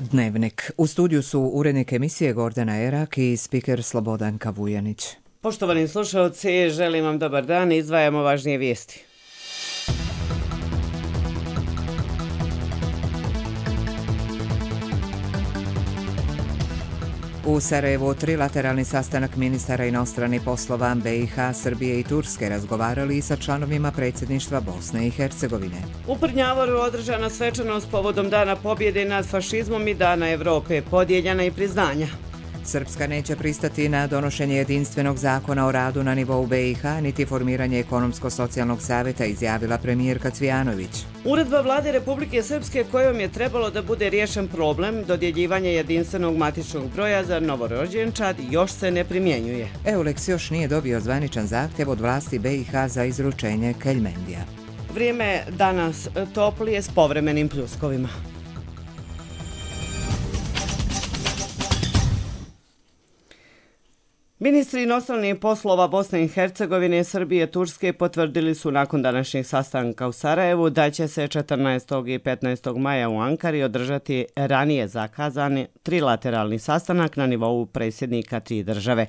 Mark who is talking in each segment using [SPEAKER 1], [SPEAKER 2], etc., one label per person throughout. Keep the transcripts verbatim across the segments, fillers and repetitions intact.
[SPEAKER 1] Dnevnik. U studiju su urednik emisije Gordana Erak i spiker Slobodanka Vujanić.
[SPEAKER 2] Poštovani slušalci, želim vam dobar dan i izdvajamo važnije vijesti.
[SPEAKER 1] U Sarajevu trilateralni sastanak ministara inostranih poslova B i H, Srbije i Turske razgovarali i sa članovima predsjedništva Bosne i Hercegovine.
[SPEAKER 2] U Prnjavoru održana svečanost povodom Dana pobjede nad fašizmom i Dana Evrope, podijeljena i priznanja.
[SPEAKER 1] Srpska neće pristati na donošenje jedinstvenog zakona o radu na nivou B i H, niti formiranje ekonomsko-socijalnog savjeta, izjavila premijerka Cvijanović.
[SPEAKER 2] Uredba vlade Republike Srpske kojom je trebalo da bude riješen problem dodjeljivanja jedinstvenog matičnog broja za novorođenčad još se ne primjenjuje.
[SPEAKER 1] Eulex još nije dobio zvaničan zahtjev od vlasti B i H za izručenje Keljmendija.
[SPEAKER 2] Vrijeme danas toplije s povremenim pljuskovima. Ministri inostranih poslova Bosne i Hercegovine, Srbije i Turske potvrdili su nakon današnjeg sastanka u Sarajevu da će se četrnaestog i petnaestog maja u Ankari održati ranije zakazani trilateralni sastanak na nivou predsjednika tri države.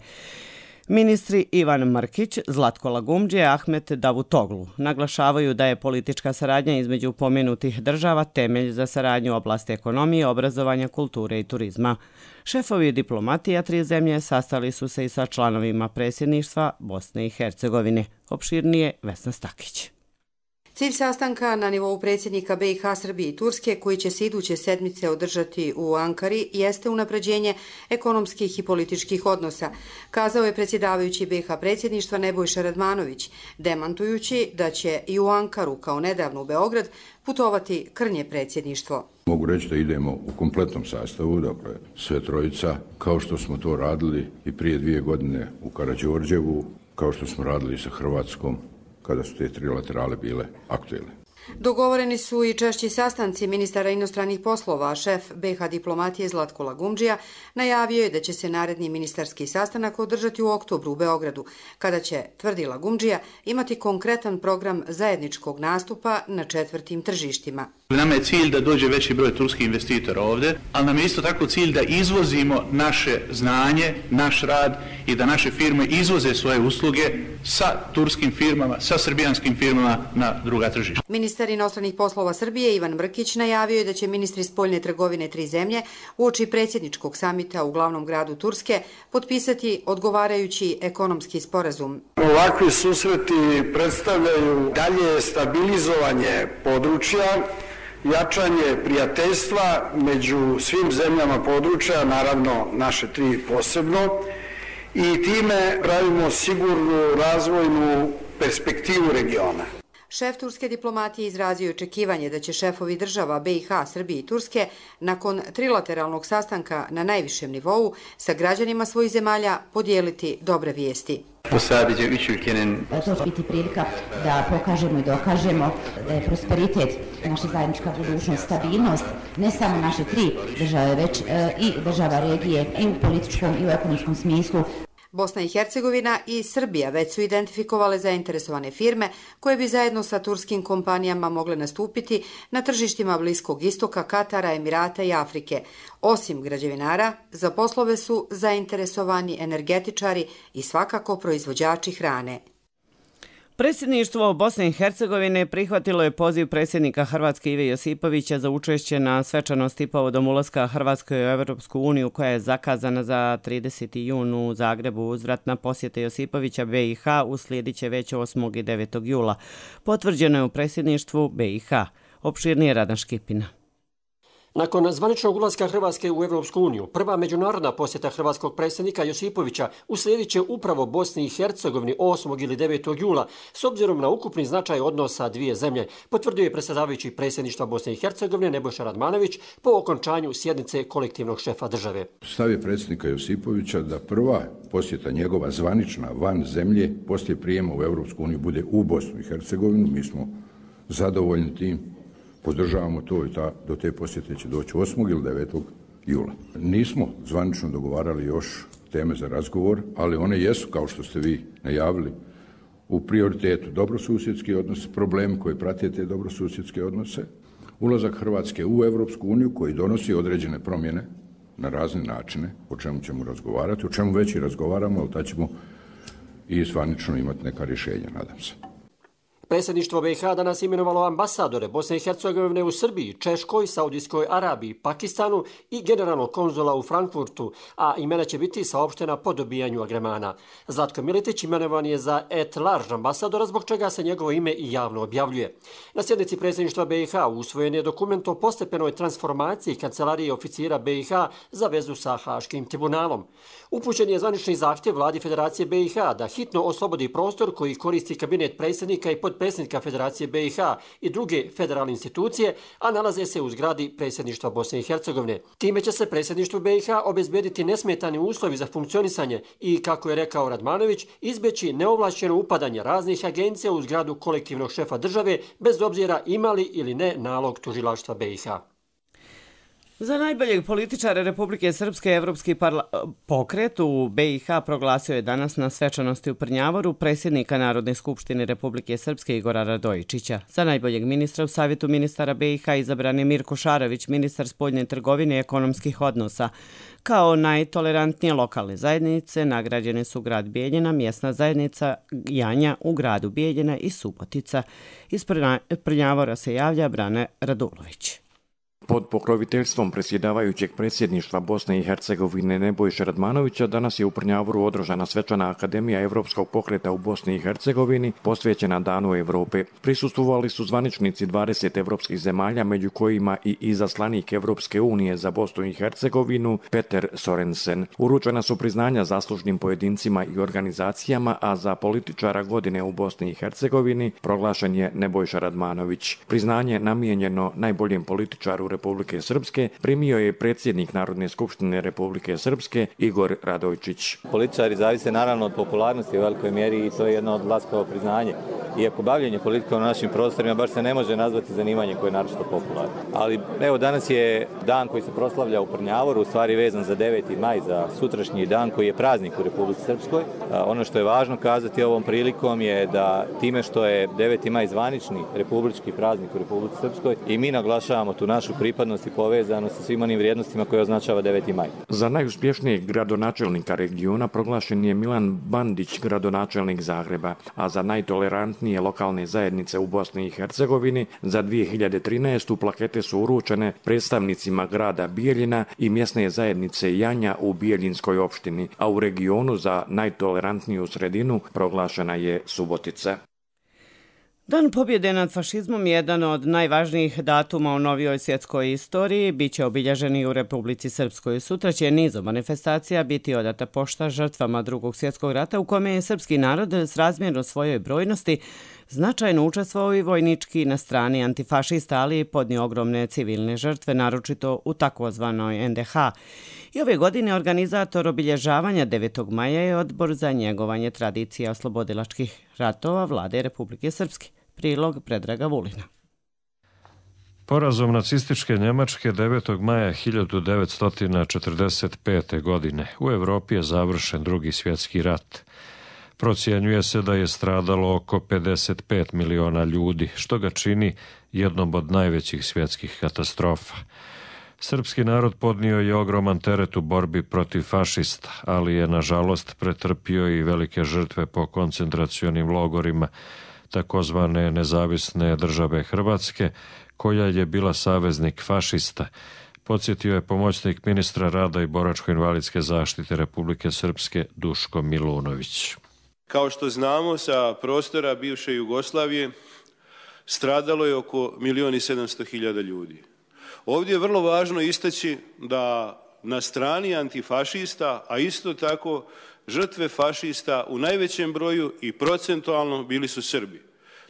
[SPEAKER 2] Ministri Ivan Mrkić, Zlatko Lagumdžija i Ahmet Davutoglu naglašavaju da je politička saradnja između pomenutih država temelj za saradnju u oblasti ekonomije, obrazovanja, kulture i turizma. Šefovi diplomatija tri zemlje sastali su se i sa članovima predsjedništva Bosne i Hercegovine. Opširnije Vesna Stakić.
[SPEAKER 3] Cilj sastanka na nivou predsjednika B i H, Srbije i Turske, koji će se iduće sedmice održati u Ankari, jeste unapređenje ekonomskih i političkih odnosa, kazao je predsjedavajući B i H predsjedništva Nebojša Radmanović, demantujući da će i u Ankaru, kao nedavno u Beograd, putovati krnje predsjedništvo.
[SPEAKER 4] Mogu reći da idemo u kompletnom sastavu, dakle sve trojica, kao što smo to radili i prije dvije godine u Karađorđevu, kao što smo radili sa Hrvatskom, kada su te trilaterale bile aktuelne.
[SPEAKER 3] Dogovoreni su i češći sastanci ministara inostranih poslova, a šef B i H diplomatije Zlatko Lagumdžija najavio je da će se naredni ministarski sastanak održati u oktobru u Beogradu, kada će, tvrdi Lagumdžija, imati konkretan program zajedničkog nastupa na četvrtim tržištima.
[SPEAKER 5] Nama je cilj da dođe veći broj turskih investitora ovdje, ali nam je isto tako cilj da izvozimo naše znanje, naš rad i da naše firme izvoze svoje usluge sa turskim firmama, sa srbijanskim firmama na druga tržišta.
[SPEAKER 3] Ministar inostranih poslova Srbije Ivan Mrkić najavio je da će ministri spoljne trgovine tri zemlje uoči predsjedničkog samita u glavnom gradu Turske potpisati odgovarajući ekonomski sporazum.
[SPEAKER 6] Ovakvi susreti predstavljaju dalje stabilizovanje područja, jačanje prijateljstva među svim zemljama područja, naravno naše tri posebno, i time pravimo sigurnu razvojnu perspektivu regiona.
[SPEAKER 3] Šef turske diplomatije izrazio je očekivanje da će šefovi država B i H, Srbije i Turske nakon trilateralnog sastanka na najvišem nivou sa građanima svojih zemalja podijeliti dobre vijesti.
[SPEAKER 7] To će biti prilika da pokažemo i dokažemo da je prosperitet, naša zajednička budućnost, stabilnost, ne samo naše tri države, već i država regije i u političkom i u ekonomskom smislu.
[SPEAKER 3] Bosna i Hercegovina i Srbija već su identifikovale zainteresovane firme koje bi zajedno sa turskim kompanijama mogle nastupiti na tržištima Bliskog istoka, Katara, Emirata i Afrike. Osim građevinara, za poslove su zainteresovani energetičari i svakako proizvođači hrane.
[SPEAKER 2] Predsjedništvo Bosne i Hercegovine prihvatilo je poziv predsjednika Hrvatske Ive Josipovića za učešće na svečanosti povodom ulaska Hrvatske u Evropsku uniju, koja je zakazana za trideseti jun u Zagrebu. Uzvratna posjeta Josipovića B i H uslijedit će već osmog i devetog jula. Potvrđeno je u predsjedništvu B i H. Opširnije Radan Škipina.
[SPEAKER 8] Nakon zvaničnog ulaska Hrvatske u Evropsku uniju, prva međunarodna posjeta hrvatskog predsjednika Josipovića uslijedit će upravo Bosni i Hercegovini osmog ili devetog jula, s obzirom na ukupni značaj odnosa dvije zemlje, potvrdio je predsjedavajući predsjedništva Bosne i Hercegovine Nebojša Radmanović po okončanju sjednice kolektivnog šefa države.
[SPEAKER 4] Stav je predsjednika Josipovića da prva posjeta njegova zvanična van zemlje poslije prijema u Evropsku uniju bude u Bosnu i Hercegovinu. Mi smo zadovoljni tim. Podržavamo to i ta, do te posjete će doći osmog ili devetog jula. Nismo zvanično dogovarali još teme za razgovor, ali one jesu, kao što ste vi najavili, u prioritetu dobrosusjedski odnos, problemi koji prate te dobrosusjedske odnose, ulazak Hrvatske u Europsku uniju koji donosi određene promjene na razne načine, o čemu ćemo razgovarati, o čemu već i razgovaramo, ali tad ćemo i zvanično imati neka rješenja, nadam se.
[SPEAKER 8] Predsjedništvo B i H danas imenovalo ambasadore Bosne i Hercegovine u Srbiji, Češkoj, Saudijskoj Arabiji, Pakistanu i generalnog konzula u Frankfurtu, a imena će biti saopštena po dobijanju agremana. Zlatko Miletić imenovan je za et large ambasadora, zbog čega se njegovo ime i javno objavljuje. Na sjednici predsjedništva B i H usvojen je dokument o postepenoj transformaciji kancelarije oficira B i H za vezu sa Haškim tribunalom. Upućen je zvanični zahtjev vladi Federacije B i H da hitno oslobodi prostor koji koristi kabinet predsjednika i podpredsjednika Federacije B i H i druge federalne institucije, a nalaze se u zgradi predsjedništva Bosne i Hercegovine. Time će se predsjedništvu B i H obezbediti nesmetani uslovi za funkcionisanje i, kako je rekao Radmanović, izbjeći neovlašćeno upadanje raznih agencija u zgradu kolektivnog šefa države, bez obzira imali ili ne nalog tužilaštva B i H.
[SPEAKER 2] Za najboljeg političara Republike Srpske Evropski pokret u B i H proglasio je danas na svečanosti u Prnjavoru predsjednika Narodne skupštine Republike Srpske Igora Radojičića. Za najboljeg ministra u Savjetu ministara B i H izabran je Mirko Šarović, ministar spoljne trgovine i ekonomskih odnosa. Kao najtolerantnije lokalne zajednice nagrađene su grad Bijeljina, mjesna zajednica Janja u gradu Bijeljina i Subotica. Iz Prnjavora se javlja Brane Radulović.
[SPEAKER 9] Pod pokroviteljstvom predsjedavajućeg predsjedništva Bosne i Hercegovine Nebojše Radmanovića danas je u Prnjavoru održana svečana Akademija Evropskog pokreta u Bosni i Hercegovini posvećena Danu Evrope. Prisustvovali su zvaničnici dvadeset evropskih zemalja, među kojima i izaslanik Evropske unije za Bosnu i Hercegovinu Peter Sorensen. Uručena su priznanja zaslužnim pojedincima i organizacijama, a za političara godine u Bosni i Hercegovini proglašen je Nebojša Radmanović. Priznanje namijenjeno najboljem političaru Republike Srpske primio je predsjednik Narodne skupštine Republike Srpske Igor Radojičić.
[SPEAKER 10] Političari zavise naravno od popularnosti u velikoj mjeri i to je jedno od laskavo priznanje. Iako bavljenje politikom na našim prostorima baš se ne može nazvati zanimanje koje je naročito popularno. Ali evo danas je dan koji se proslavlja u Prnjavoru, u stvari vezan za deveti maj, za sutrašnji dan koji je praznik u Republici Srpskoj. Ono što je važno kazati ovom prilikom je da time što je deveti maj zvanični republički praznik u Republici Srpskoj i mi naglašavamo tu našu pripadnost i povezanost sa svim onim vrijednostima koje označava deveti maj.
[SPEAKER 9] Za najuspješnijeg gradonačelnika regiona proglašen je Milan Bandić, gradonačelnik Zagreba, a za najtolerantnije lokalne zajednice u Bosni i Hercegovini za dvije hiljade trinaestu plakete su uručene predstavnicima grada Bijeljina i mjesne zajednice Janja u Bijeljinskoj opštini, a u regionu za najtolerantniju sredinu proglašena je Subotica.
[SPEAKER 2] Dan pobjede nad fašizmom je jedan od najvažnijih datuma u novijoj svjetskoj istoriji. Biće obilježen i u Republici Srpskoj. Sutra će nizom manifestacija biti odata pošta žrtvama Drugog svjetskog rata, u kome je srpski narod s razmjerno svojoj brojnosti značajno učestvovao i vojnički na strani antifašista, ali i podnio ogromne civilne žrtve, naročito u takozvanoj en de ha. I ove godine organizator obilježavanja devetog maja je Odbor za njegovanje tradicija oslobodilačkih ratova Vlade Republike Srpske. Prilog Predraga Vulina.
[SPEAKER 11] Porazom nacističke Njemačke devetog maja hiljadu devetsto četrdeset pete. godine u Evropi je završen Drugi svjetski rat. Procjenjuje se da je stradalo oko pedeset pet miliona ljudi, što ga čini jednom od najvećih svjetskih katastrofa. Srpski narod podnio je ogroman teret u borbi protiv fašista, ali je nažalost pretrpio i velike žrtve po koncentracionim logorima takozvane nezavisne države Hrvatske, koja je bila saveznik fašista, podsjetio je pomoćnik ministra rada i boračko-invalidske zaštite Republike Srpske Duško Milunović.
[SPEAKER 12] Kao što znamo, sa prostora bivše Jugoslavije stradalo je oko milion i sedamsto hiljada ljudi. Ovdje je vrlo važno istaći da na strani antifašista, a isto tako žrtve fašista u najvećem broju i procentualno bili su Srbi.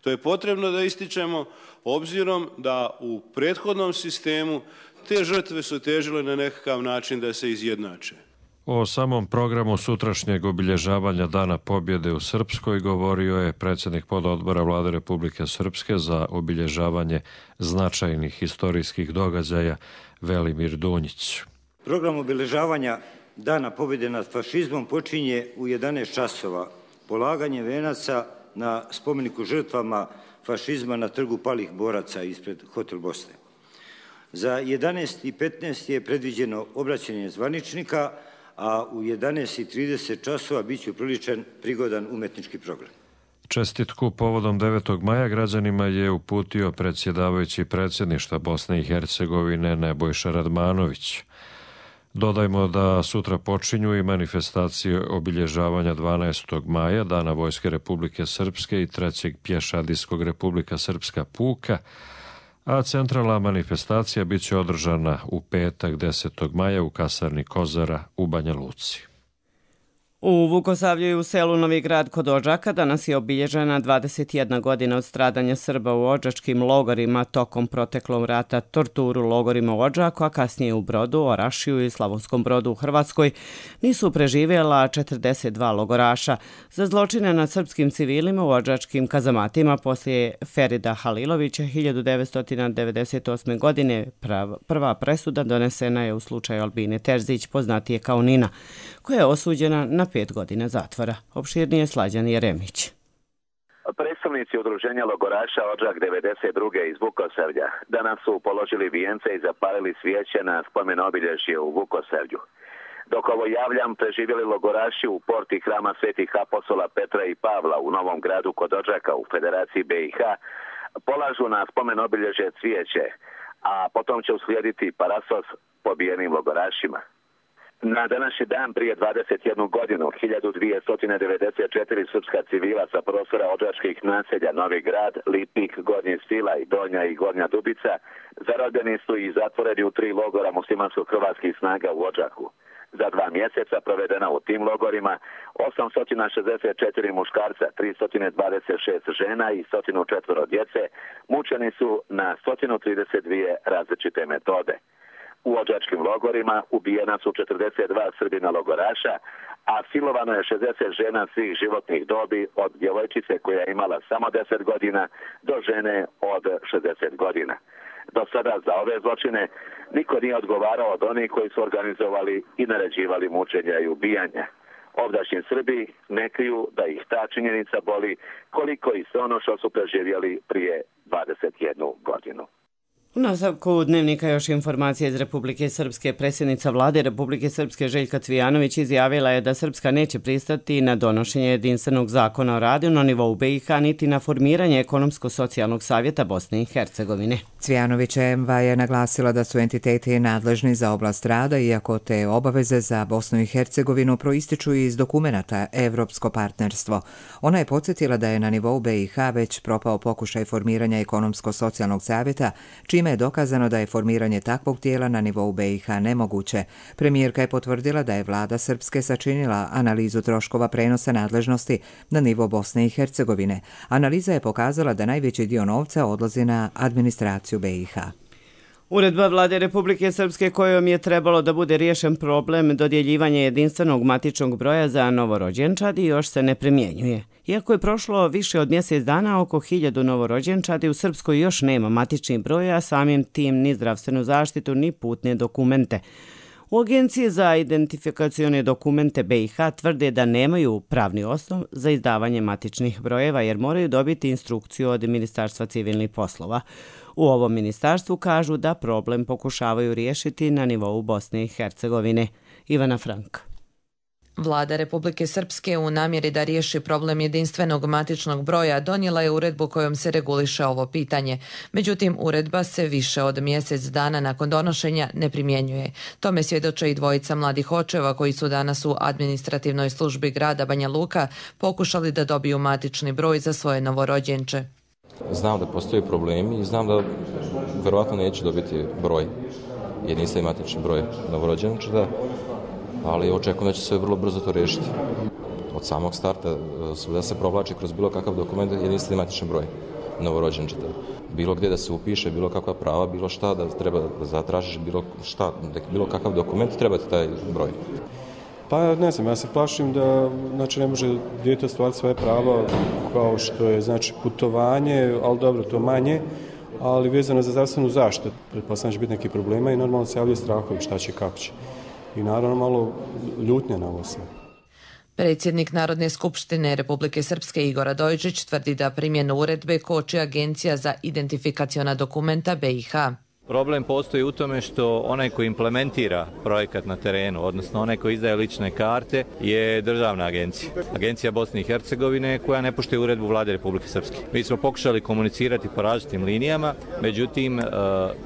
[SPEAKER 12] To je potrebno da ističemo obzirom da u prethodnom sistemu te žrtve su težile na nekakav način da se izjednače.
[SPEAKER 11] O samom programu sutrašnjeg obilježavanja Dana pobjede u Srpskoj govorio je predsjednik pododbora Vlade Republike Srpske za obilježavanje značajnih historijskih događaja Velimir Dunjić.
[SPEAKER 13] Program obilježavanja Dana pobjede nad fašizmom počinje u jedanaest časova polaganjem venaca na spomeniku žrtvama fašizma na trgu palih boraca ispred Hotel Bosne. Za jedanaest i petnaest je predviđeno obraćanje zvaničnika, a u jedanaest i trideset časova bit će upriličen prigodan umetnički program.
[SPEAKER 11] Čestitku povodom devetog maja građanima je uputio predsjedavajući predsjedništva Bosne i Hercegovine Nebojša Radmanović. Dodajmo da sutra počinju i manifestacije obilježavanja dvanaestog maja, Dana Vojske Republike Srpske i trećeg pješadijskog Republika Srpska puka, a centralna manifestacija bit će održana u petak desetog maja u kasarni Kozara u Banja Luci.
[SPEAKER 2] U Vukosavlju i u selu Novi Grad kod Odžaka danas je obilježena dvadeset jedna godina od stradanja Srba u odžačkim logorima tokom proteklog rata, torturu logorima u Odžaku, a kasnije u Brodu, Orašiju i Slavonskom Brodu u Hrvatskoj nisu preživjela četrdeset dva logoraša. Za zločine nad srpskim civilima u odžačkim kazamatima poslije Ferida Halilovića hiljadu devetsto devedeset osme. godine prva presuda donesena je u slučaju Albine Terzić, poznatije kao Nina, koja je osuđena na pet godina zatvora. Opširnije Slađan Jeremić.
[SPEAKER 14] Predstavnici udruženja logoraša Odžak devedeset druge iz Vukosavlja danas su položili vijence i zapalili svijeće na spomen obilježje u Vukosavlju. Dok ovo javljam, preživjeli logoraši u porti hrama svetih apostola Petra i Pavla u Novom Gradu kod Odžaka u Federaciji B i H polažu na spomen obilježje cvijeće, a potom će uslijediti parasos pobijenim logorašima. Na današnji dan prije dvadeset jednu godinu, hiljadu dvjesto devedeset četiri srpska civila sa prostora odžačkih naselja Novi Grad, Lipik, Gornji Stila i Donja i Gornja Dubica zarobljeni su i zatvoreni u tri logora muslimansko-hrvatskih snaga u Odžaku. Za dva mjeseca provedena u tim logorima osamsto šezdeset četiri muškarca, tristo dvadeset šest žena i sto četiri djece mučeni su na sto trideset dvije različite metode. U odžačkim logorima ubijena su četrdeset dva Srbina logoraša, a silovano je šezdeset žena svih životnih dobi od djevojčice koja je imala samo deset godina do žene od šezdeset godina. Do sada za ove zločine niko nije odgovarao od onih koji su organizovali i naređivali mučenja i ubijanja. Ovdašnji Srbi ne kriju da ih ta činjenica boli koliko i sve ono što su preživjeli prije dvadeset jednu godinu.
[SPEAKER 2] U nastavku dnevnika još informacije iz Republike Srpske. Predsjednica vlade Republike Srpske Željka Cvijanović izjavila je da Srpska neće pristati na donošenje jedinstvenog zakona o radu na nivou B i H niti na formiranje ekonomsko-socijalnog savjeta Bosne i Hercegovine.
[SPEAKER 1] Cvijanovićeva je naglasila da su entiteti nadležni za oblast rada, iako te obaveze za Bosnu i Hercegovinu proističu iz dokumenata Evropsko partnerstvo. Ona je podsjetila da je na nivou B i H već propao pokušaj formiranja ekonomsko-socijalnog savjeta, čime je dokazano da je formiranje takvog tijela na nivou B i H nemoguće. Premijerka je potvrdila da je vlada Srpske sačinila analizu troškova prenosa nadležnosti na nivo Bosne i Hercegovine. Analiza je pokazala da najveći dio novca odlazi na administraciju B i H.
[SPEAKER 2] Uredba vlade Republike Srpske kojom je trebalo da bude riješen problem dodjeljivanja jedinstvenog matičnog broja za novorođenčadi još se ne primjenjuje. Iako je prošlo više od mjesec dana, oko hiljadu novorođenčadi u Srpskoj još nema matični broj, a samim tim ni zdravstvenu zaštitu ni putne dokumente. U Agenciji za identifikacione dokumente B i H tvrde da nemaju pravni osnov za izdavanje matičnih brojeva jer moraju dobiti instrukciju od Ministarstva civilnih poslova. U ovom ministarstvu kažu da problem pokušavaju riješiti na nivou Bosne i Hercegovine. Ivana Frank.
[SPEAKER 15] Vlada Republike Srpske u namjeri da riješi problem jedinstvenog matičnog broja donijela je uredbu kojom se reguliše ovo pitanje. Međutim, uredba se više od mjesec dana nakon donošenja ne primjenjuje. Tome svjedoče i dvojica mladih očeva koji su danas u administrativnoj službi grada Banja Luka pokušali da dobiju matični broj za svoje novorođenče.
[SPEAKER 16] Znam da postoje problemi i znam da verovatno neću dobiti broj, jedinstveni matični broj novorođenčeta, ali očekujem da će se vrlo brzo to riješiti. Od samog starta da se provlači kroz bilo kakav dokument jedinstveni matični broj novorođenčeta. Bilo gdje da se upiše, bilo kakva prava, bilo šta da treba da zatražiš, bilo šta, bilo kakav dokument treba ti taj broj.
[SPEAKER 17] Pa ne znam, ja se plašim da znači, ne može dijete ostvariti svoje prava kao što je znači, putovanje, ali dobro, to manje, ali vezano za zdravstvenu zaštitu. Pretpostavljam će biti neki problema i normalno se javljaju strahovi šta će, kako će. I naravno malo ljutnje na ovo sve.
[SPEAKER 15] Predsjednik Narodne skupštine Republike Srpske Igor Radojičić tvrdi da primjenu uredbe koči Agencija za identifikaciona dokumenta B i H.
[SPEAKER 10] Problem postoji u tome što onaj koji implementira projekat na terenu, odnosno onaj koji izdaje lične karte, je državna agencija. Agencija Bosne i Hercegovine koja ne poštuje uredbu Vlade Republike Srpske. Mi smo pokušali komunicirati po različitim linijama, međutim,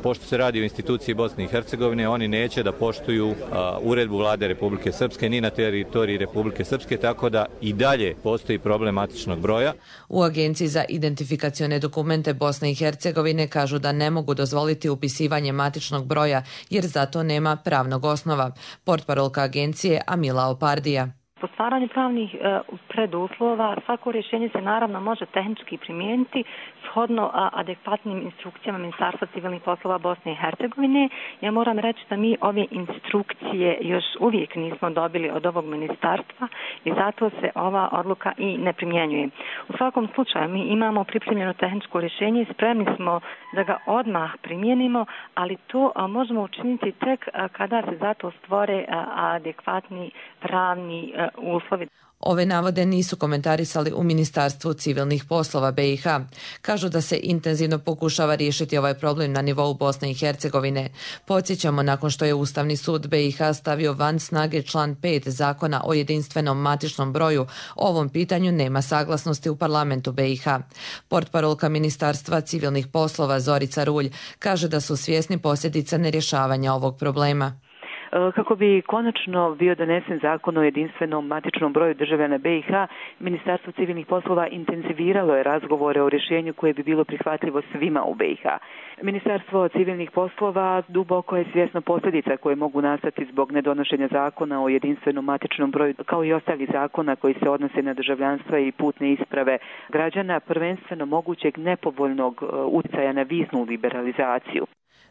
[SPEAKER 10] pošto se radi o instituciji Bosne i Hercegovine, oni neće da poštuju uredbu Vlade Republike Srpske ni na teritoriji Republike Srpske, tako da i dalje postoji problem matičnog broja.
[SPEAKER 15] U Agenciji za identifikacione dokumente Bosne i Hercegovine kažu da ne mogu dozvoliti upisivanje matičnog broja jer zato nema pravnog osnova. Portparolka agencije Amila Opardija.
[SPEAKER 18] Po stvaranju pravnih e, preduslova svako rješenje se naravno može tehnički primijeniti shodno a, adekvatnim instrukcijama Ministarstva civilnih poslova Bosne i Hercegovine. Ja moram reći da mi ove instrukcije još uvijek nismo dobili od ovog ministarstva i zato se ova odluka i ne primjenjuje. U svakom slučaju mi imamo pripremljeno tehničko rješenje i spremni smo da ga odmah primijenimo, ali to a, možemo učiniti tek a, kada se zato stvore a, adekvatni pravni a, uslovi.
[SPEAKER 15] Ove navode nisu komentarisali u Ministarstvu civilnih poslova B i H. Kažu da se intenzivno pokušava riješiti ovaj problem na nivou Bosne i Hercegovine. Podsjećamo, nakon što je Ustavni sud B i H stavio van snage član pet Zakona o jedinstvenom matičnom broju, o ovom pitanju nema saglasnosti u parlamentu B i H. Portparolka Ministarstva civilnih poslova Zorica Rulj kaže da su svjesni posljedica nerješavanja ovog problema.
[SPEAKER 19] Kako bi konačno bio donesen zakon o jedinstvenom matičnom broju državljana B i H, Ministarstvo civilnih poslova intenziviralo je razgovore o rješenju koje bi bilo prihvatljivo svima u B i H. Ministarstvo civilnih poslova duboko je svjesno posljedica koje mogu nastati zbog nedonošenja zakona o jedinstvenom matičnom broju, kao i ostalih zakona koji se odnose na državljanstva i putne isprave građana, prvenstveno mogućeg nepovoljnog utjecaja na viznu liberalizaciju.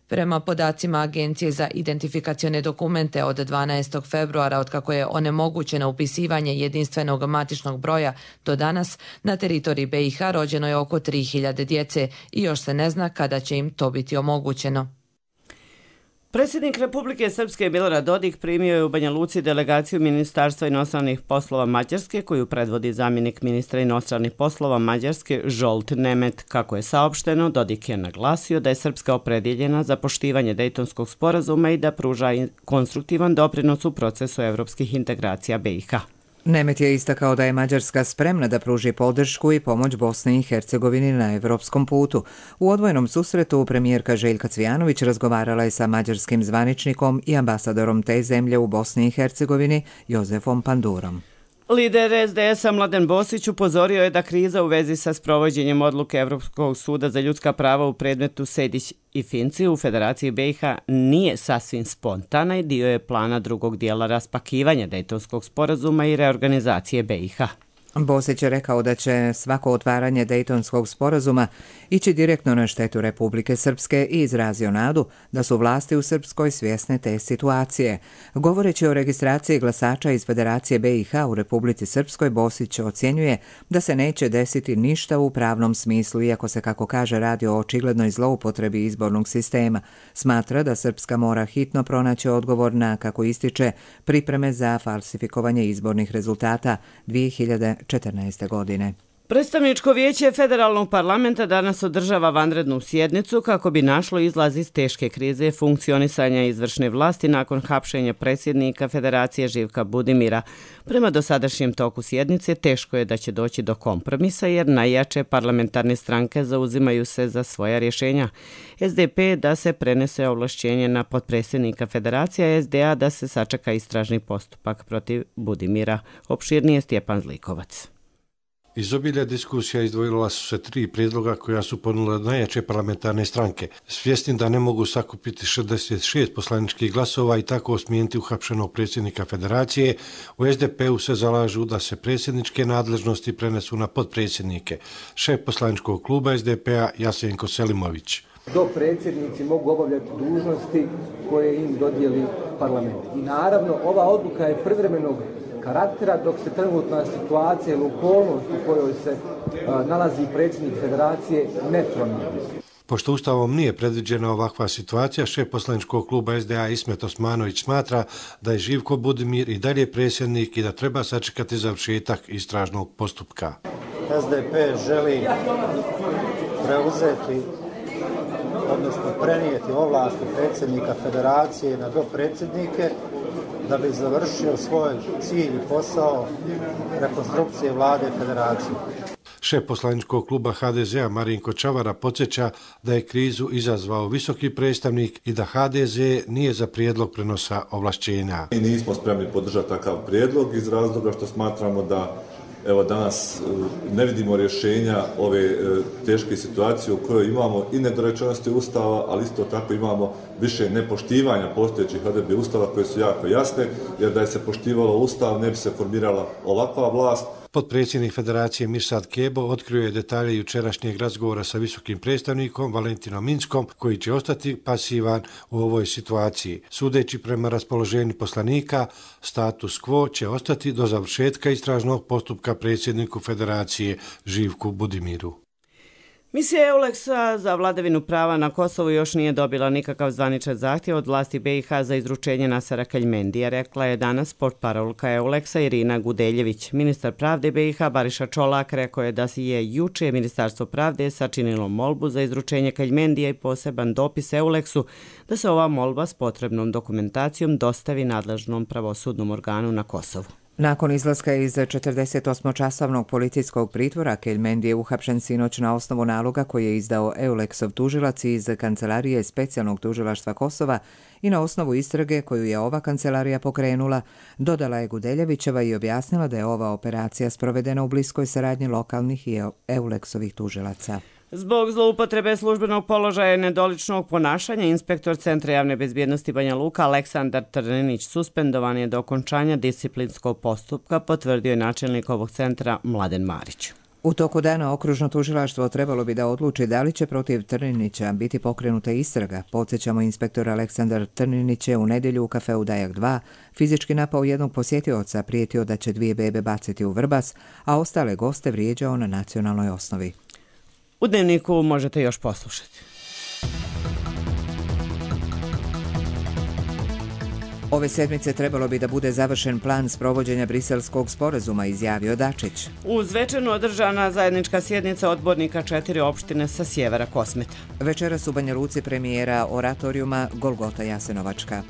[SPEAKER 15] Prema podacima Agencije za identifikacione dokumente od dvanaestog februara, otkako je onemogućeno upisivanje jedinstvenog matičnog broja do danas, na teritoriji B i H rođeno je oko tri hiljade djece i još se ne zna kada će im to biti omogućeno.
[SPEAKER 2] Predsjednik Republike Srpske Milorad Dodik primio je u Banja Luci delegaciju Ministarstva inostranih poslova Mađarske, koju predvodi zamjenik ministra inostranih poslova Mađarske Zsolt Nemet. Kako je saopšteno, Dodik je naglasio da je Srpska opredjeljena za poštivanje Dejtonskog sporazuma i da pruža konstruktivan doprinos u procesu evropskih integracija B i H.
[SPEAKER 1] Nemet je istakao da je Mađarska spremna da pruži podršku i pomoć Bosni i Hercegovini na evropskom putu. U odvojenom susretu premijerka Željka Cvijanović razgovarala je sa mađarskim zvaničnikom i ambasadorom te zemlje u Bosni i Hercegovini Jozefom Pandurom.
[SPEAKER 2] Lider S D S-a Mladen Bosić upozorio je da kriza u vezi sa sprovođenjem odluke Evropskog suda za ljudska prava u predmetu Sejdić i Finci u Federaciji B i H nije sasvim spontana i dio je plana drugog dijela raspakivanja Dejtonskog sporazuma i reorganizacije B i H.
[SPEAKER 1] Bosić je rekao da će svako otvaranje Dejtonskog sporazuma ići direktno na štetu Republike Srpske i izrazio nadu da su vlasti u Srpskoj svjesne te situacije. Govoreći o registraciji glasača iz Federacije B i H u Republici Srpskoj, Bosić ocjenjuje da se neće desiti ništa u pravnom smislu, iako se, kako kaže, radi o očiglednoj zloupotrebi izbornog sistema. Smatra da Srpska mora hitno pronaći odgovor na, kako ističe, pripreme za falsifikovanje izbornih rezultata dvije hiljade četrnaeste. godine.
[SPEAKER 2] Predstavničko vijeće Federalnog parlamenta danas održava vanrednu sjednicu kako bi našlo izlaz iz teške krize funkcionisanja izvršne vlasti nakon hapšenja predsjednika Federacije Živka Budimira. Prema dosadašnjem toku sjednice teško je da će doći do kompromisa jer najjače parlamentarne stranke zauzimaju se za svoja rješenja. S D P da se prenese ovlašćenje na potpredsjednika Federacije, a S D A da se sačeka istražni postupak protiv Budimira. Opširnije Stjepan Zlikovac.
[SPEAKER 20] Iz obilja diskusija izdvojila su se tri prijedloga koja su ponudile najjače parlamentarne stranke. Svjesni da ne mogu sakupiti šezdeset šest poslaničkih glasova i tako smijeniti uhapšenog predsjednika Federacije, u S D P-u se zalažu da se predsjedničke nadležnosti prenesu na potpredsjednike. Šef poslaničkog kluba S D P-a Jasenko Selimović.
[SPEAKER 21] Do predsjednici mogu obavljati dužnosti koje im dodijeli parlament. I naravno, ova odluka je privremenog karaktera dok se trenutna situacija ili okolnost u kojoj se a, nalazi predsjednik Federacije ne promijeni.
[SPEAKER 20] Pošto Ustavom nije predviđena ovakva situacija, šef poslaničkog kluba S D A Ismet Osmanović smatra da je Živko Budimir i dalje predsjednik i da treba sačekati završetak istražnog postupka.
[SPEAKER 22] S D P želi preuzeti
[SPEAKER 5] odnosno prenijeti ovlasti predsjednika federacije na dopredsjednike da bi završio svoj cilj i posao rekonstrukcije vlade federacije.
[SPEAKER 20] Šef poslaničkog kluba ha de zea Marinko Čavara podsjeća da je krizu izazvao visoki predstavnik i da ha de ze nije za prijedlog prenosa ovlašćenja.
[SPEAKER 22] Mi nismo spremni podržati takav prijedlog iz razloga što smatramo da evo danas ne vidimo rješenja ove teške situacije u kojoj imamo i nedorečenosti Ustava, ali isto tako imamo više nepoštivanja postojećih odredbi Ustava koje su jako jasne, jer da je se poštivalo Ustav ne bi se formirala ovakva vlast.
[SPEAKER 20] Potpredsjednik Federacije Mirsad Kebo otkrio je detalje jučerašnjeg razgovora sa visokim predstavnikom Valentinom Minskom, koji će ostati pasivan u ovoj situaciji. Sudeći prema raspoloženju poslanika, status quo će ostati do završetka istražnog postupka predsjedniku Federacije Živku Budimiru.
[SPEAKER 2] Misija Euleksa za vladavinu prava na Kosovu još nije dobila nikakav zvaničan zahtjev od vlasti be i ha za izručenje Nasera Keljmendija, rekla je danas portparolka Euleksa Irina Gudeljević. Ministar pravde be i ha Bariša Čolak rekao je da si je juče Ministarstvo pravde sačinilo molbu za izručenje Keljmendija i poseban dopis Euleksu da se ova molba s potrebnom dokumentacijom dostavi nadležnom pravosudnom organu na Kosovu.
[SPEAKER 1] Nakon izlaska iz četrdesetosmočasovnog policijskog pritvora, Keljmendi je uhapšen sinoć na osnovu naloga koji je izdao Euleksov tužilac iz Kancelarije specijalnog tužilaštva Kosova i na osnovu istrage koju je ova kancelarija pokrenula, dodala je Gudeljevićeva i objasnila da je ova operacija sprovedena u bliskoj saradnji lokalnih i Euleksovih tužilaca.
[SPEAKER 2] Zbog zloupotrebe službenog položaja i nedoličnog ponašanja, inspektor Centra javne bezbjednosti Banja Luka Aleksandar Trninić suspendovan je do okončanja disciplinskog postupka, potvrdio je načelnik ovog centra Mladen Marić.
[SPEAKER 1] U toku dana okružno tužilaštvo trebalo bi da odluči da li će protiv Trninića biti pokrenuta istraga. Podsjećamo, inspektor Aleksandar Trninić je u nedjelju u kafeu Dajak dva fizički napao jednog posjetioca, prijetio da će dvije bebe baciti u Vrbas, a ostale goste vrijeđao na nacionalnoj osnovi.
[SPEAKER 2] U Dnevniku možete još poslušati.
[SPEAKER 1] Ove sedmice trebalo bi da bude završen plan sprovođenja briselskog sporazuma, izjavio Dačić.
[SPEAKER 2] Uz večernu održana zajednička sjednica odbornika četiri opštine sa sjevera Kosmeta.
[SPEAKER 1] Večeras u Banja Luci premijera oratorijuma Golgota Jasenovačka.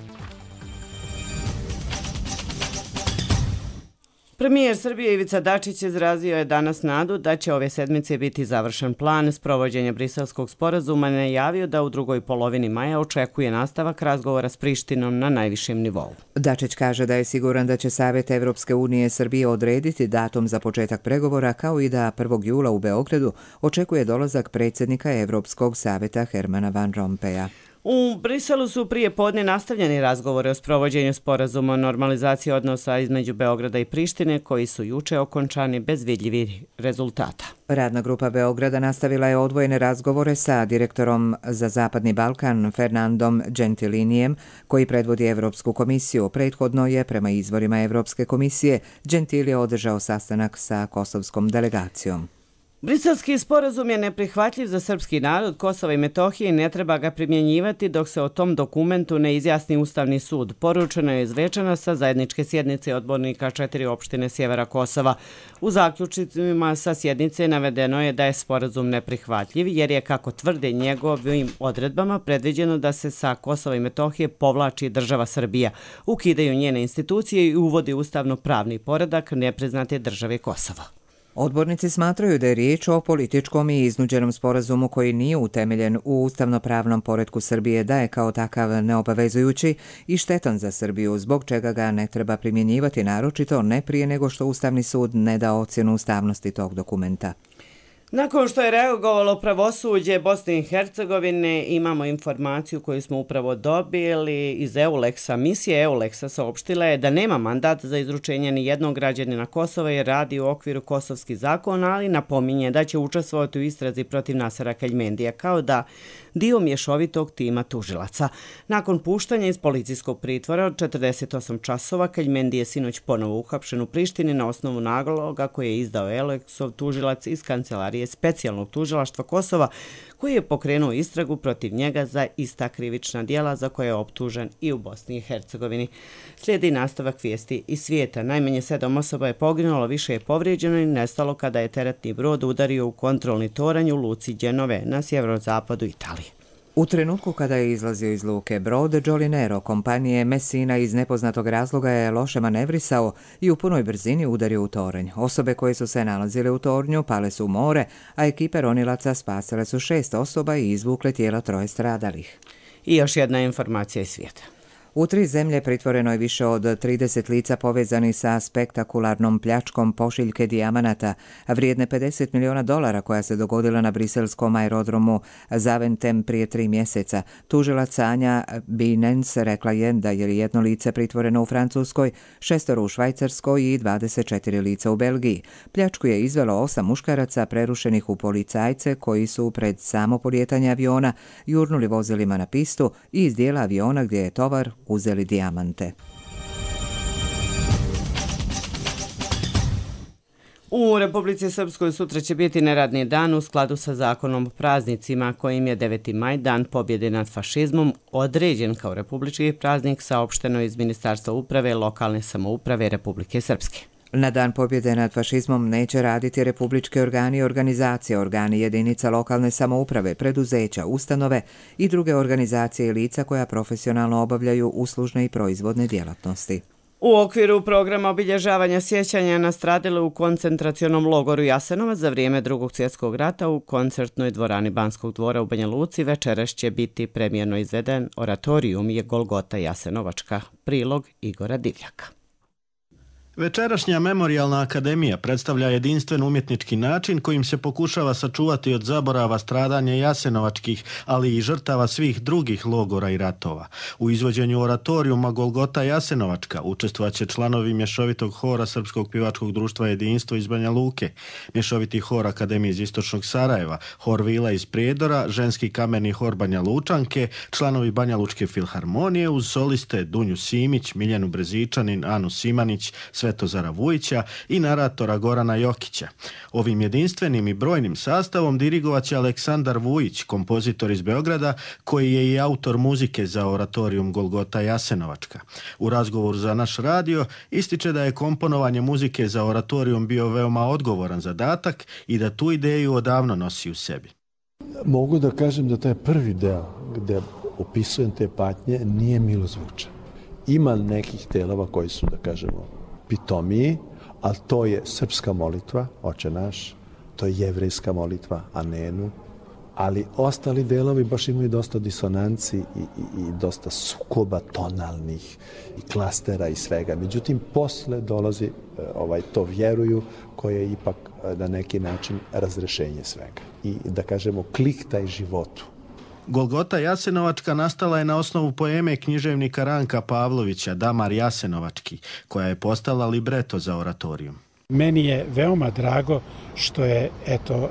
[SPEAKER 2] Premijer Srbije Ivica Dačić izrazio je danas nadu da će ove sedmice biti završen plan sprovođenja briselskog sporazuma, najavio da u drugoj polovini maja očekuje nastavak razgovora s Prištinom na najvišem nivou.
[SPEAKER 1] Dačić kaže da je siguran da će Savet Evropske unije Srbije odrediti datum za početak pregovora, kao i da prvog jula u Beogradu očekuje dolazak predsjednika Evropskog saveta Hermana Van Rompeja.
[SPEAKER 2] U Briselu su prije podne nastavljeni razgovori o sprovođenju sporazuma o normalizaciji odnosa između Beograda i Prištine, koji su juče okončani bez vidljivih rezultata.
[SPEAKER 1] Radna grupa Beograda nastavila je odvojene razgovore sa direktorom za Zapadni Balkan Fernandom Gentilinijem, koji predvodi Evropsku komisiju. Prethodno je, prema izvorima Evropske komisije, Gentilije održao sastanak sa kosovskom delegacijom.
[SPEAKER 2] Briselski sporazum je neprihvatljiv za srpski narod Kosova i Metohije i ne treba ga primjenjivati dok se o tom dokumentu ne izjasni Ustavni sud. Poručeno je izrečeno sa zajedničke sjednice odbornika četiri opštine sjevera Kosova. U zaključcima sa sjednice navedeno je da je sporazum neprihvatljiv jer je, kako tvrde, njegovim odredbama predviđeno da se sa Kosova i Metohije povlači država Srbija, ukidaju njene institucije i uvodi ustavno-pravni poredak nepriznate države Kosova.
[SPEAKER 1] Odbornici smatraju da je riječ o političkom i iznuđenom sporazumu koji nije utemeljen u ustavno-pravnom poretku Srbije, da je kao takav neobavezujući i štetan za Srbiju, zbog čega ga ne treba primjenjivati, naročito ne prije nego što Ustavni sud ne da ocjenu ustavnosti tog dokumenta.
[SPEAKER 2] Nakon što je reagovalo pravosuđe Bosne i Hercegovine, imamo informaciju koju smo upravo dobili iz Euleksa. Misija Euleksa saopštila je da nema mandat za izručenje ni jednog građanina Kosova jer radi u okviru kosovskih zakona, ali napominje da će učestvovati u istrazi protiv Nasera Keljmendija kao da dio mješovitog tima tužilaca. Nakon puštanja iz policijskog pritvora od četrdeset osam časova, Keljmendi je sinoć ponovo uhapšen u Prištini na osnovu naloga koji je izdao Euleksov tužilac iz Kancelarije specijalnog tužilaštva Kosova, koji je pokrenuo istragu protiv njega za ista krivična djela za koje je optužen i u Bosni i Hercegovini. Slijedi nastavak vijesti iz svijeta. Najmanje sedam osoba je poginulo, više je povrijeđeno i nestalo kada je teretni brod udario u kontrolni toranj u luci Đenove na sjeverozapadu Italije.
[SPEAKER 1] U trenutku kada je izlazio iz luke brod Jolinero kompanije Messina iz nepoznatog razloga je loše manevrisao i u punoj brzini udario u toranj. Osobe koje su se nalazile u tornju pale su u more, a ekipe ronilaca spasile su šest osoba i izvukle tijela troje stradalih.
[SPEAKER 2] I još jedna informacija iz svijeta.
[SPEAKER 1] U tri zemlje pritvoreno je više od trideset lica povezanih sa spektakularnom pljačkom pošiljke dijamanata, vrijedne pedeset miliona dolara koja se dogodila na briselskom aerodromu Zaventem prije tri mjeseca. Tužilac Anja Binens rekla je da je jedno lice pritvoreno u Francuskoj, šestoro u Švajcarskoj i dvadeset četiri lica u Belgiji. Pljačku je izvelo osam muškaraca prerušenih u policajce koji su pred samo polijetanje aviona jurnuli vozilima na pistu i iz dijela aviona gdje je tovar uzeli dijamante.
[SPEAKER 2] U Republici Srpskoj sutra će biti neradni dan u skladu sa zakonom o praznicima kojim je deveti maj, dan pobjede nad fašizmom, određen kao republički praznik, saopšteno iz Ministarstva uprave i lokalne samouprave Republike Srpske.
[SPEAKER 1] Na dan pobjede nad fašizmom neće raditi republički organi i organizacije, organi jedinica lokalne samouprave, preduzeća, ustanove i druge organizacije i lica koja profesionalno obavljaju uslužne i proizvodne djelatnosti.
[SPEAKER 2] U okviru programa obilježavanja sjećanja na stradale u koncentracionom logoru Jasenovac za vrijeme Drugog svjetskog rata u koncertnoj dvorani Banskog dvora u Banja Luci večeras će biti premijerno izveden oratorijum je Golgota Jasenovačka, prilog Igora Divljaka.
[SPEAKER 6] Večerašnja Memorijalna akademija predstavlja jedinstven umjetnički način kojim se pokušava sačuvati od zaborava stradanja jasenovačkih, ali i žrtava svih drugih logora i ratova. U izvođenju oratorijuma Golgota Jasenovačka učestvovaće članovi mješovitog hora Srpskog pjevačkog društva Jedinstvo iz Banja Luke, mješoviti hor Akademije iz Istočnog Sarajeva, hor Vila iz Prijedora, ženski kamerni hor Banja Lučanke, članovi Banja Lučke filharmonije uz soliste Dunju Simić, Miljanu Brezičanin, Anu Simanić, Svetozara Vujića i naratora Gorana Jokića. Ovim jedinstvenim i brojnim sastavom dirigovaće Aleksandar Vujić, kompozitor iz Beograda, koji je i autor muzike za oratorijum Golgota Jasenovačka. U razgovoru za naš radio ističe da je komponovanje muzike za oratorijum bio veoma odgovoran zadatak i da tu ideju odavno nosi u sebi.
[SPEAKER 7] Mogu da kažem da taj prvi deo gde opisujem te patnje nije milozvučan. Ima nekih delova koji su, da kažemo, pitomiji, ali to je srpska molitva, Oče naš, to je jevrejska molitva, Anenu, ali ostali delovi baš imaju dosta disonanci i, i, i dosta sukoba tonalnih i klastera i svega. Međutim, posle dolazi ovaj, to vjeruju koje je ipak na neki način razrešenje svega. I da kažemo klik taj životu.
[SPEAKER 6] Golgota Jasenovačka nastala je na osnovu poeme književnika Ranka Pavlovića Damar Jasenovački, koja je postala libreto za oratorijum.
[SPEAKER 23] Meni je veoma drago što je eto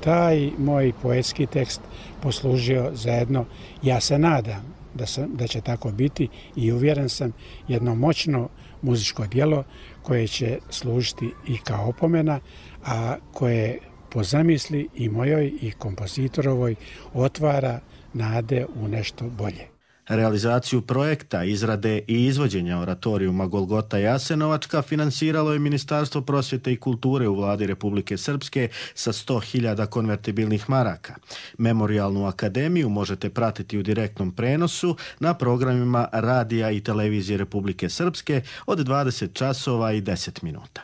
[SPEAKER 23] taj moj poetski tekst poslužio zajedno. Ja se nadam da, sam, da će tako biti i uvjeren sam jedno moćno muzičko djelo koje će služiti i kao opomena, a koje po zamisli i mojoj i kompozitorovoj otvara nade u nešto bolje.
[SPEAKER 6] Realizaciju projekta, izrade i izvođenja oratorijuma Golgota Jasenovačka finansiralo je Ministarstvo prosvjete i kulture u vladi Republike Srpske sa sto hiljada konvertibilnih maraka. Memorijalnu akademiju možete pratiti u direktnom prenosu na programima radija i televizije Republike Srpske od dvadeset časova i deset minuta.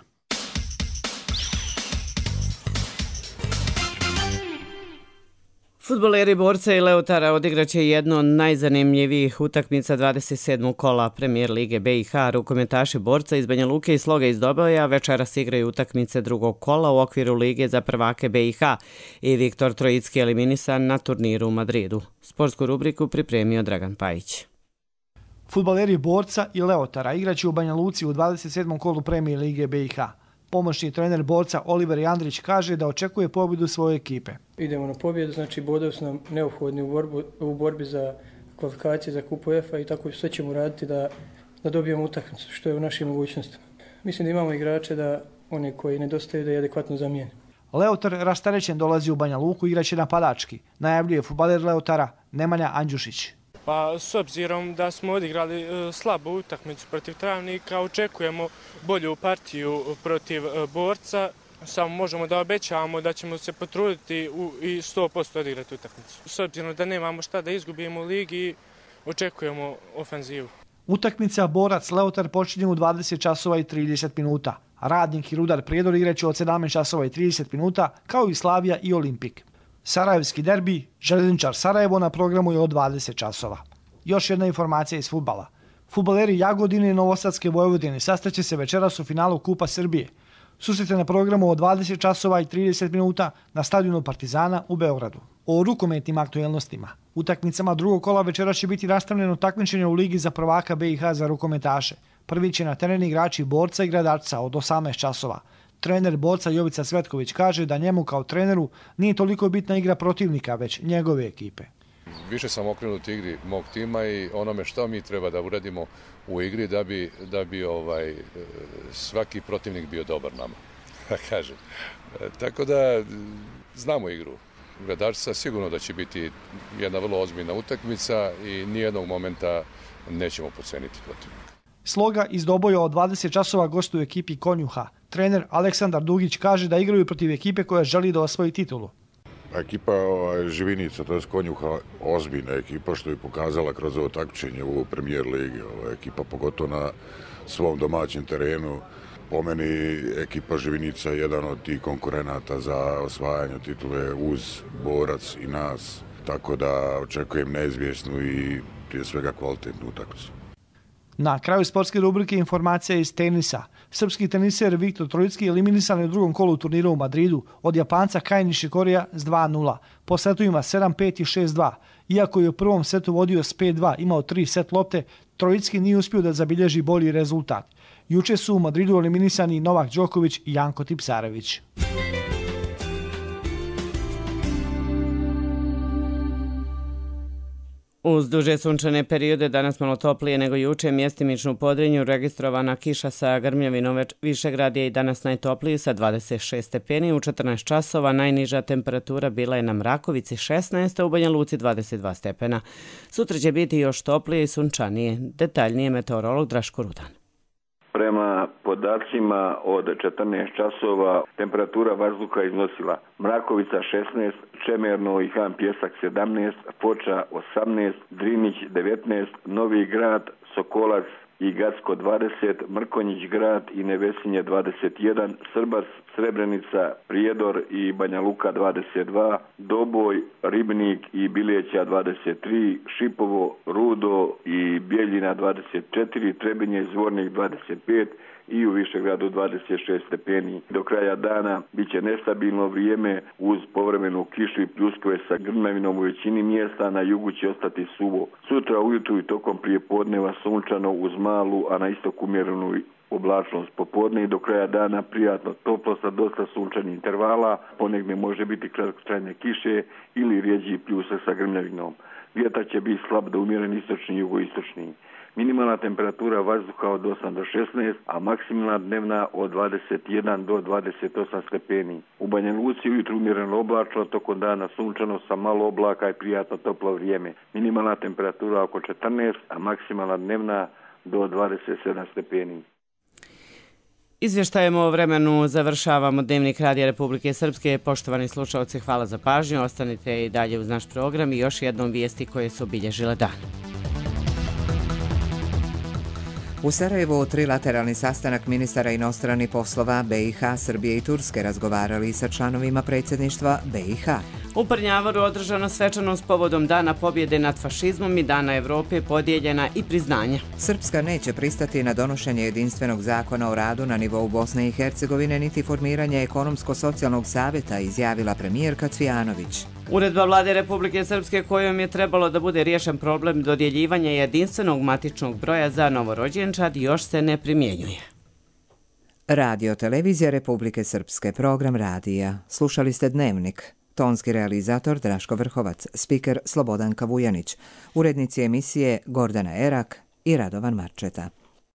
[SPEAKER 2] Fudbaleri Borca i Leotara odigraće jednu od najzanimljivijih utakmica dvadeset sedmog kola Premijer Lige B i H. Rukometaši Borca iz Banja Luke i Sloga iz Doboja večeras igraju utakmice drugog kola u okviru Lige za prvake B i H i Viktor Trojicki eliminisan na turniru u Madridu. Sportsku rubriku pripremio Dragan Pajić.
[SPEAKER 24] Fudbaleri Borca i Leotara igraće u Banja Luci u dvadeset sedmom kolu Premijer Lige B i H. Pomoćni trener Borca Oliver Jandrić kaže da očekuje pobjedu svoje ekipe.
[SPEAKER 25] Idemo na pobjedu, znači bodovi su nam neophodni u, borbu, u borbi za kvalifikacije za kupu UEFA i tako sve ćemo raditi da, da dobijemo utakmicu što je u našim mogućnostima. Mislim da imamo igrače da one koji nedostaju da je adekvatno zamijene.
[SPEAKER 24] Leotar rastarećen dolazi u Banja Luku, igraće napadački. Najavljuje fudbaler Leotara Nemanja Andjušić.
[SPEAKER 26] Pa s obzirom da smo odigrali e, slabu utakmicu protiv Travnika, očekujemo bolju partiju protiv e, Borca. Samo možemo da obećamo da ćemo se potruditi i sto posto odigrati utakmicu. S obzirom da nemamo šta da izgubimo u ligi, očekujemo ofenzivu.
[SPEAKER 24] Utakmica Borac-Leotar počinje u dvadeset časova i trideset minuta. Radnik i Rudar Prijedor igraće od sedamnaest časova i trideset minuta, kao i Slavija i Olimpik. Sarajevski derbi, Željezničar Sarajevo na programu je od dvadeset časova. Još jedna informacija iz fudbala. Fudbaleri Jagodine i Novosadske Vojvodine sastaće se večeras u finalu Kupa Srbije. Susret je na programu od dvadeset časova i trideset minuta na stadionu Partizana u Beogradu. O rukometnim aktuelnostima. Utakmicama drugog kola večera će biti nastavljeno takmičenje u Ligi za prvaka B i H za rukometaše. Prvi će na terenu igrači Borca i Gradarca od osamnaest časova. Trener Borca Jovica Svetković kaže da njemu kao treneru nije toliko bitna igra protivnika, već njegove ekipe.
[SPEAKER 3] Više sam okrenut igri mog tima i onome što mi treba da uradimo u igri da bi, da bi ovaj, svaki protivnik bio dobar nama. Kažem. Tako da znamo igru. Gradarca sigurno da će biti jedna vrlo ozbiljna utakmica i nijednog momenta nećemo podceniti protivnika.
[SPEAKER 24] Sloga iz Doboja od dvadeset časova gostuje ekipi Konjuha. Trener Aleksandar Dugić kaže da igraju protiv ekipe koja želi da osvoji titulu.
[SPEAKER 4] Ekipa ovaj, Živinica, to je Konjuha, ozbiljna ekipa što je pokazala kroz ovo takmičenje u Premijer ligi. Ova ekipa pogotovo na svom domaćem terenu. Po meni ekipa Živinica je jedan od tih konkurenata za osvajanje titule uz Borac i nas. Tako da očekujem neizvjesnu i prije svega kvalitetnu utakmicu.
[SPEAKER 24] Na kraju sportske rubrike informacija iz tenisa. Srpski teniser Viktor Trojicki eliminisan je u drugom kolu turnira u Madridu od Japanca Kei Nishikoriya s dva nula. Po setovima sedam pet i šest dva. Iako je u prvom setu vodio s pet dva, imao tri set lopte, Trojicki nije uspio da zabilježi bolji rezultat. Juče su u Madridu eliminisani Novak Đoković i Janko Tipsarević.
[SPEAKER 2] Uz duže sunčane periode danas malo toplije nego juče, mjestimično u Podrinju registrovana kiša sa grmljavinom. Višegrad je i danas najtopliji sa dvadeset šest stepeni. U četrnaest časova najniža temperatura bila je na Mrakovici šesnaest, a u Banja Luci dvadeset dva stepena. Sutra će biti još toplije i sunčanije. Detaljnije meteorolog Draško Rudan.
[SPEAKER 8] Prema podacima od četrnaest časova temperatura vazduha iznosila Mrakovica šesnaest, Čemerno i Han Pjesak sedamnaest, Foča osamnaest, Drinić devetnaest, Novi Grad, Sokolac i Gacko dvadeset, Mrkonjić Grad i Nevesinje dvadeset jedan, Srbas, Srebrenica, Prijedor i Banja Luka dvadeset dva, Doboj, Ribnik i Bileća dvadeset tri, Šipovo, Rudo i Bijeljina dvadeset četiri, Trebinje, Zvornik dvadeset pet i u Višegradu dvadeset šest stepeni. Do kraja dana bit će nestabilno vrijeme uz povremenu kišu i pljuskove sa grmljavinom u većini mjesta, na jugu će ostati suvo. Sutra ujutru i tokom prijepodneva sunčano uz malu, a na istoku umjerenu oblačnost. Popodne i do kraja dana prijatno toplo sa dosta sunčanih intervala, ponegdje može biti kratkotrajne kiše ili rijeđi pljusak sa grmljavinom. Vjetar će biti slab do umjeren istočni i jugoistočni. Minimalna temperatura vazduha od osam do šesnaest, a maksimalna dnevna od dvadeset jedan do dvadeset osam stepeni. U Banja Luci ujutru umjereno oblačno, tokom dana sunčano sa malo oblaka i prijatno toplo vrijeme. Minimalna temperatura oko četrnaest, a maksimalna dnevna do dvadeset sedam stepeni.
[SPEAKER 2] Izvještajem o vremenu završavamo Dnevnik Radija Republike Srpske. Poštovani slušalci, hvala za pažnju. Ostanite i dalje uz naš program i još jednom vijesti koje su obilježile dan.
[SPEAKER 1] U Sarajevu trilateralni sastanak ministara inostranih poslova B i H, Srbije i Turske razgovarali sa članovima predsjedništva B i H.
[SPEAKER 2] U Prnjavaru održano svečanost povodom Dana pobjede nad fašizmom i Dana Evrope, podijeljena i priznanja.
[SPEAKER 1] Srpska neće pristati na donošenje jedinstvenog zakona o radu na nivou Bosne i Hercegovine niti formiranje ekonomsko-socijalnog savjeta, izjavila premijerka Cvijanović.
[SPEAKER 2] Uredba Vlade Republike Srpske kojom je trebalo da bude riješen problem dodjeljivanja jedinstvenog matičnog broja za novorođenčad još se ne primjenjuje.
[SPEAKER 1] Radio Televizija Republike Srpske, program radija. Slušali ste Dnevnik. Tonski realizator Draško Vrhovac, spiker Slobodanka Vujanić, urednici emisije Gordana Erak i Radovan Marčeta.